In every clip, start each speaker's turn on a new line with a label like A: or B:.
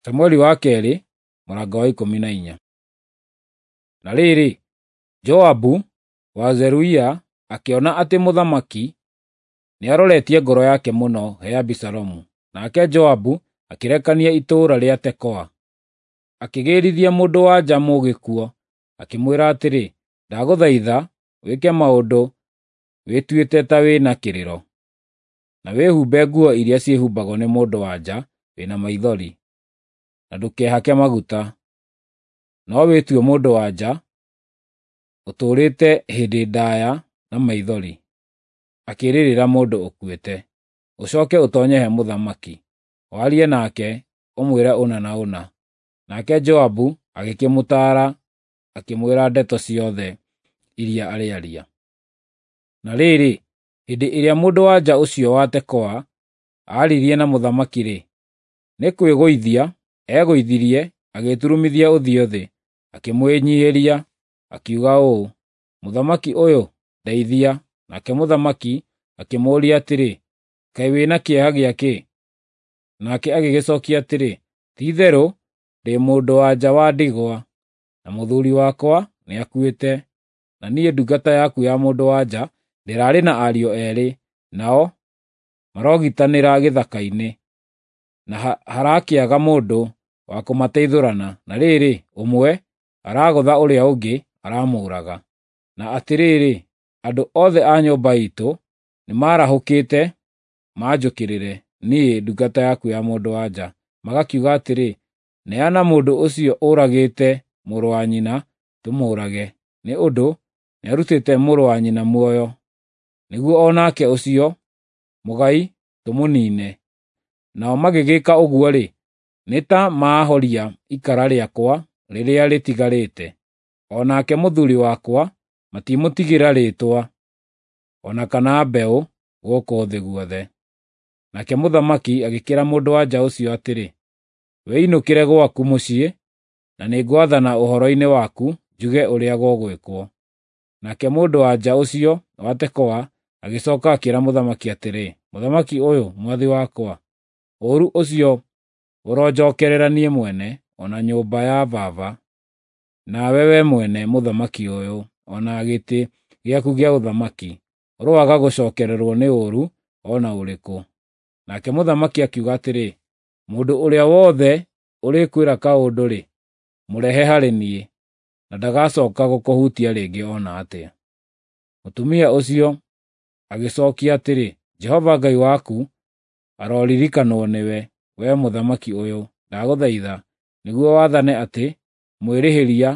A: Samueli wa kerĩ mũrango wa 14. Na rĩrĩ, Joabu wa Zeruia akĩona atĩ mũthamaki nĩaroretie ngoro yake mũno he Abisalomu. Nake Joabu akĩrekania itũũra rĩa Tekoa, akĩgĩrithia mũndũ-wa-nja mũũgĩ kuo, akĩmwĩra atĩrĩ, “Ndagũthaitha wĩke maũndũ wĩtuĩte ta wĩ na kĩrĩro, na wĩhumbe nguo iria ciĩhumbagwo nĩ mũndũ-wa-nja wĩ na maithori, na ndũkehake maguta, no wĩtue mũndũ-wa-nja ũtũũrĩte hĩndĩ ndaaya na maithori, akĩrĩrĩra mũndũ ũkuĩte. Ũcooke ũtoonye he mũthamaki, warie nake, ũmwĩre ũna na ũna.” Nake Joabu agĩkĩmũtaara akĩmwĩra ndeto ciothe iria arĩaria. Na rĩrĩ, hĩndĩ ĩrĩa mũndũ-wa-nja ũcio wa Tekoa aaririe na mũthamaki-rĩ, nĩ kwĩgũithia egũithirie agĩturumithia ũthiũ thĩ, akĩmwĩnyiihĩria, akiuga ũũ, “Mũthamaki ũyũ, ndeithia!” Nake mũthamaki akĩmũũria atĩrĩ, “Kaĩ wĩ na kĩeha gĩa kĩ?” Nake agĩgĩcookia atĩrĩ, “Ti-itherũ ndĩ mũndũ-wa-nja wa ndigwa, na mũthuuri wakwa nĩakuĩte, na niĩ ndungata yaku ya mũndũ-wa-nja ndĩrarĩ na ariũ eerĩ, nao marogitanĩra gĩthaka-inĩ, na harakĩaga mũndũ wa kũmateithũrana. Na rĩrĩ, ũmwe aragũtha ũrĩa ũngĩ aramũũraga. Na atĩrĩrĩ, andũ othe a nyũmba iitũ nĩmarahũkĩte manjũkĩrĩre, niĩ ndungata yaku ya mũndũ-wa-nja, magakiuga atĩrĩ, ‘Neana mũndũ ũcio ũragĩte mũrũ wa nyina tũmũũrage, nĩ ũndũ nĩarutĩte mũrũ wa nyina muoyo, nĩguo o nake ũcio mũgai tũmũniine.’ Nao magĩgĩĩka ũguo-rĩ, nĩ ta maahoria ikara rĩakwa rĩrĩa rĩtigarĩte. O nake mũthuuri wakwa matimũtigĩra rĩĩtwa, o na kana mbeũ gũkũ thĩ guothe.” Nake mũthamaki agĩkĩĩra mũndũ-wa-nja ũcio atĩrĩ, “Wĩinũkĩre gwaku mũciĩ, na nĩngwathana ũhoro-inĩ waku njuge ũrĩa gũgwĩkwo.” Nake mũndũ-wa-nja ũcio wa Tekoa agĩcooka akĩĩra mũthamaki atĩrĩ, “Mũthamaki ũyũ, mwathi wakwa, ũũru ũcio ũronjookerera niĩ mwene, o na nyũmba ya baba, nawe wee mwene, mũthamaki ũyũ, o na gĩtĩ gĩaku gĩa ũthamaki, ũroaga gũcookererwo nĩ ũũru o na ũrĩkũ.” Nake mũthamaki akiuga atĩrĩ, “Mũndũ ũrĩa wothe ũrĩkwĩra kaũndũ-rĩ, mũrehe harĩ niĩ, na ndagacooka gũkũhutia rĩngĩ o na atĩa.” Mũtumia ũcio agĩcookia atĩrĩ, “Jehova Ngai waku aroririkanwo nĩwe, wee mũthamaki ũyũ, ndagũthaitha, nĩguo wathane atĩ mwĩrĩhĩria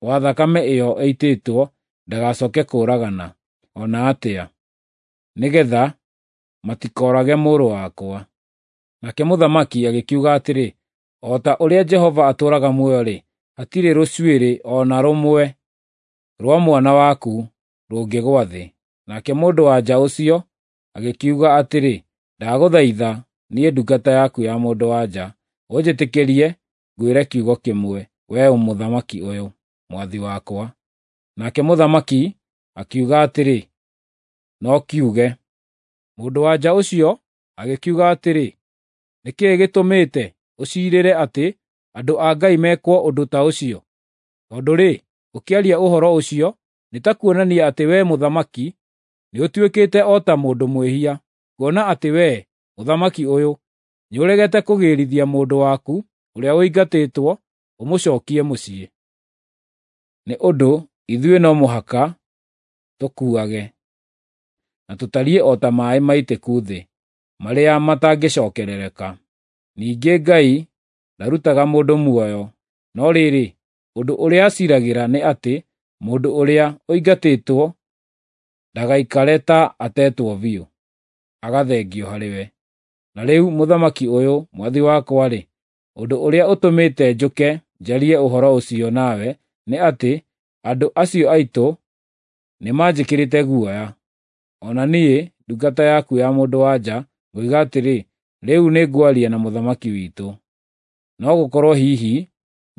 A: wa thakame ĩyo ĩitĩtwo ndagacooke kũũragana o na atĩa, nĩgeetha matikoorage mũrũ wakwa.” Nake mũthamaki agĩkiuga atĩrĩ, “O ta ũrĩa Jehova atũũraga muoyo-rĩ, hatirĩ rũcuĩrĩ o na rũmwe rwa mwana waku rũngĩgũa thĩ.” Nake mũndũ-wa-nja ũcio agĩkiuga atĩrĩ, “Ndagũthaitha, niĩ ndungata yaku ya mũndũ-wa-nja, ũnjĩtĩkĩrie ngwĩre kiugo kĩmwe, wee mũthamaki ũyũ, mwathi wakwa.” Nake mũthamaki akiuga atĩrĩ, “No kiuge.” Mũndũ-wa-nja ũcio agĩkiuga atĩrĩ, “Nĩ kĩĩ gĩtũmĩte ũciirĩre atĩ andũ a Ngai mekwo ũndũ ta ũcio? Tondũ-rĩ, ũkĩaria ũhoro ũcio nĩ ta kuonania atĩ wee mũthamaki nĩũtuĩkĩte o ta mũndũ mwĩhia, kuona atĩ wee, mũthamaki ũyũ, nĩũregete kũgĩrithia mũndũ waku ũrĩa ũingatĩtwo ũmũcookie mũciĩ. Nĩ ũndũ ithuĩ no mũhaka tũkuage, na tũtariĩ o ta maaĩ maitĩku thĩ, marĩa matangĩcookerereka. Ningĩ Ngai ndarutaga mũndũ muoyo, no rĩrĩ, ũndũ ũrĩa aciiragĩra nĩ atĩ mũndũ ũrĩa ũingatĩtwo ndagaikare ta atetwo biũ, agathengio harĩ we. Na rĩu mũthamaki ũyũ, mwathi wakwa-rĩ, ũndũ ũrĩa ũtũmĩte njũke njarie ũhoro ũcio nawe nĩ atĩ andũ acio aitũ nĩmanjĩkĩrĩte guoya. O na niĩ, ndungata yaku ya mũndũ-wa-nja, ngoiga atĩrĩ, ‘Rĩu nĩngwaria na mũthamaki witũ.’ No gũkorwo hihi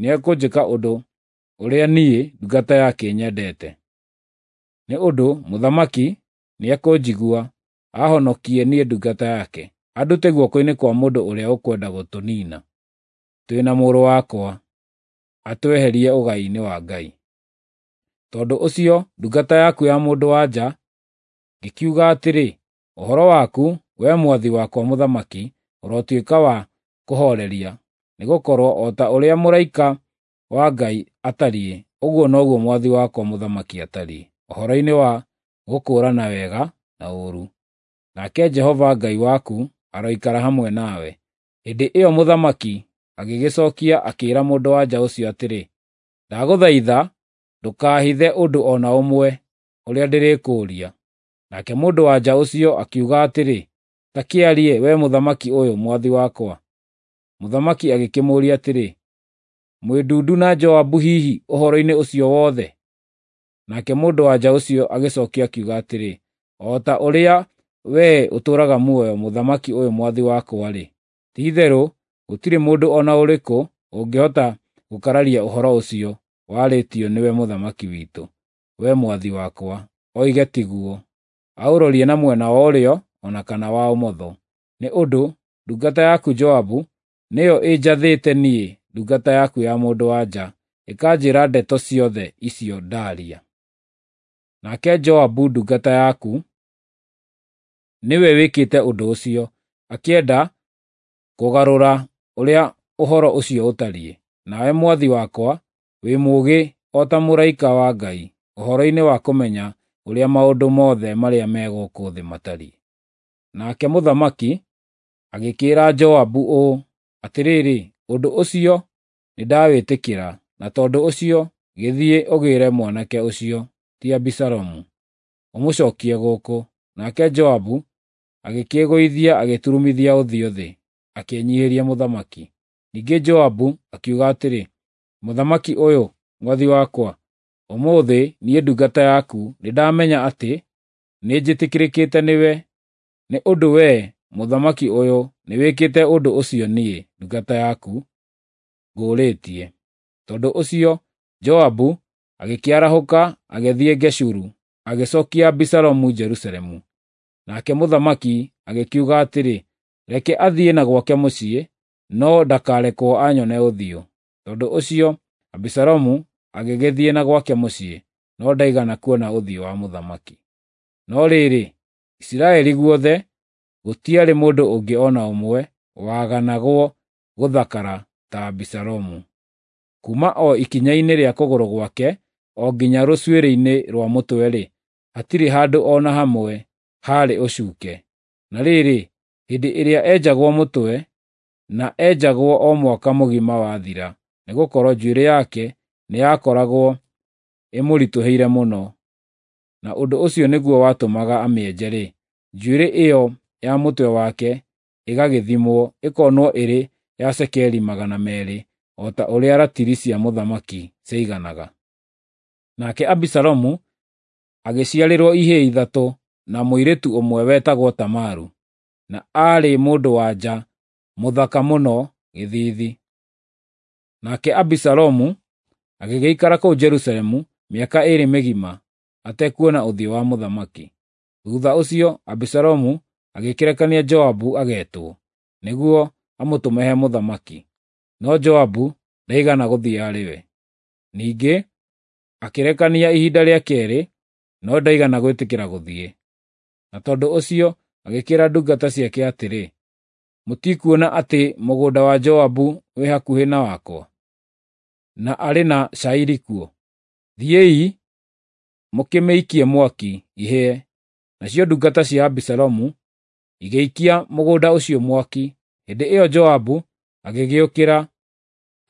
A: nĩekũnjĩka ũndũ ũrĩa niĩ ndungata yake nyendete. Nĩ ũndũ mũthamaki nĩekũnjigua, aahonokie niĩ ndungata yake, andute guoko-inĩ kwa mũndũ ũrĩa ũkwenda gũtũniina. twĩ na mũrũ wakwa, atweherie ũgai-inĩ wa Ngai. Tondũ ũcio ndungata yaku ya mũndũ-wa-nja ngĩkiuga atĩrĩ, Ũhoro waku, wee mwathi wakwa mũthamaki, ũrotuĩka wa kũhooreria, nĩgũkorwo o ta ũrĩa mũraika wa Ngai atariĩ, ũguo noguo mwathi wakwa mũthamaki atariĩ, ũhoro-inĩ wa gũkũũrana wega na ũũru. Nake Jehova Ngai waku aroikara hamwe nawe. Hĩndĩ ĩyo mũthamaki agĩgĩcookia akĩĩra mũndũ-wa-nja ũcio atĩrĩ, Ndagũthaitha ndũkaahithe ũndũ o na ũmwe ũrĩa ndĩrĩkũũria. Nake mũndũ-wa-nja ũcio akiuga atĩrĩ, Ta kĩarie, wee mũthamaki ũyũ, mwathi wakwa. Mũthamaki agĩkĩmũũria atĩrĩ, Mwĩ ndundu na Joabu hihi ũhoro-inĩ ũcio wothe? Nake mũndũ-wa-nja ũcio agĩcookia akiuga atĩrĩ, O ta ũrĩa wee ũtũũraga muoyo, mũthamaki ũyũ mwathi wakwa-rĩ, ti-itherũ gũtirĩ mũndũ o na ũrĩkũ ũngĩhota gũkararia ũhoro ũcio warĩtio nĩwe mũthamaki witũ, wee mwathi wakwa, oige tiguo, aũrorie na mwena wa ũrĩo o na kana wa ũmotho. Nĩ ũndũ ndungata yaku Joabu nĩyo ĩnjathĩte niĩ ndungata yaku ya mũndũ-wa-nja, ĩkanjĩĩra ndeto ciothe icio ndaaria. Nake Joabu ndungata yaku nĩwe wĩkĩte ũndũ ũcio, akĩenda kũgarũra ũrĩa ũhoro ũcio ũtariĩ. Nawe mwathi wakwa wĩ mũũgĩ o ta mũraika wa Ngai ũhoro-inĩ wa kũmenya ũrĩa maũndũ mothe marĩa me gũkũ thĩ matariĩ. Nake mũthamaki agĩkĩĩra Joabu ũũ, Atĩrĩrĩ, ũndũ ũcio nĩndawĩtĩkĩra, na tondũ ũcio gĩthiĩ ũgĩĩre mwanake ũcio, ti Abisalomu, ũmũcookie gũkũ. Nake Joabu agĩkĩĩgũithia agĩturumithia ũthiũ thĩ, akĩĩnyiihĩria mũthamaki. Ningĩ Joabu akiuga atĩrĩ, Mũthamaki ũyũ, mwathi wakwa, ũmũthĩ niĩ ndungata yaku nĩndamenya atĩ nĩnjĩtĩkĩrĩkĩte nĩwe, nĩ ũndũ wee, mũthamaki ũyũ, nĩwĩkĩte ũndũ ũcio niĩ, ndungata yaku, ngũũrĩtie. Tondũ ũcio Joabu agĩkĩarahũka agĩthiĩ Geshuru, agĩcookia Abisalomu Jerusalemu. Nake mũthamaki agĩkiuga atĩrĩ, Reke athiĩ na gwake mũciĩ, no ndakarekwo anyone ũthiũ. Tondũ ũcio Abisalomu agĩgĩthiĩ na gwake mũciĩ, no ndaigana kuona ũthiũ wa mũthamaki. No rĩrĩ, Isiraeli guothe gũtiarĩ mũndũ ũngĩ o na ũmwe waganagwo gũthakara ta Abisalomu. Kuuma o ikinya-inĩ rĩa kũgũrũ gwake o nginya rũcuĩrĩ-inĩ rwa mũtwe-rĩ, hatirĩ handũ o na hamwe haarĩ ũcuuke. Na rĩrĩ, hĩndĩ ĩrĩa enjagwo mũtwe, na enjagwo o mwaka mũgima wathira, nĩgũkorwo njuĩrĩ yake nĩyakoragwo ĩmũritũhĩire mũno, na ũndũ ũcio nĩguo watũmaga amĩenje-rĩ, njuĩrĩ ĩyo ya mũtwe wake ĩgagĩthimwo, ĩkonwo ĩrĩ ya cekeri 200, o ta ũrĩa ratiri cia mũthamaki ciaiganaga. Nake Abisalomu agĩciarĩrwo ihĩĩ ithatũ na mũirĩtu ũmwe wetagwo Tamaru, na aarĩ mũndũ-wa-nja mũthaka mũno gĩthiithi. Nake Abisalomu agĩgĩikara kũu Jerusalemu mĩaka 2 mĩgima atekuona ũthiũ wa mũthamaki. Thuutha ũcio Abisalomu agĩkĩrekania Joabu ageetwo, nĩguo amũtũme he mũthamaki, no Joabu ndaigana gũthiĩ harĩ we. Ningĩ akĩrekania ihinda rĩa keerĩ, no ndaigana gwĩtĩkĩra gũthiĩ. Na tondũ ũcio agĩkĩĩra ndungata ciake atĩrĩ, Mũtikuona atĩ mũgũnda wa Joabu wĩ hakuhĩ na wakwa, na arĩ na cairi kuo? Thiĩi mũkĩmĩikie mwaki ihĩe. Nacio ndungata cia Abisalomu igĩikia mũgũnda ũcio mwaki. Hĩndĩ ĩyo Joabu agĩgĩũkĩra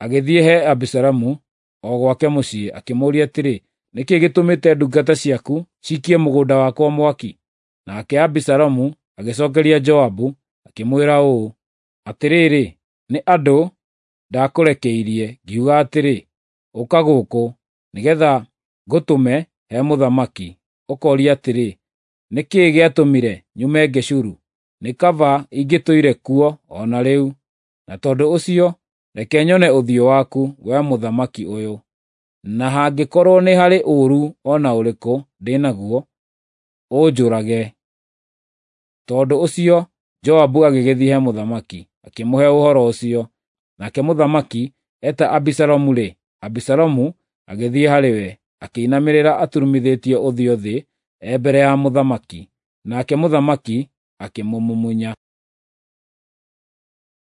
A: agĩthiĩ he Abisalomu o gwake mũciĩ, akĩmũũria atĩrĩ, Nĩ kĩĩ gĩtũmĩte ndungata ciaku ciikie mũgũnda wakwa mwaki? Nake Abisalomu agĩcookeria Joabu akĩmwĩra ũũ, Atĩrĩrĩ, nĩ andũ ndakũrekeirie, ngiuga atĩrĩ, 'Ũka gũkũ, nĩgeetha ngũtũme he mũthamaki, ũkoorie atĩrĩ, 'Nĩ kĩĩ gĩatũmire nyume Geshuru? Nĩ kaba ingĩtũire kuo o na rĩu.' Na tondũ ũcio reke nyone ũthiũ waku, wee mũthamaki ũyũ, na hangĩkorwo nĩ harĩ ũũru o na ũrĩkũ ndĩ naguo, ũnjũrage." Tondũ ũcio Joabu agĩgĩthiĩ he mũthamaki, akĩmũhe ũhoro ũcio. Nake mũthamaki eeta Abisalomu-rĩ, Abisalomu agĩthiĩ harĩ we, akĩinamĩrĩra aturumithĩtie ũthiũ thĩ e mbere ya mũthamaki. Nake mũthamaki akĩmũmumunya.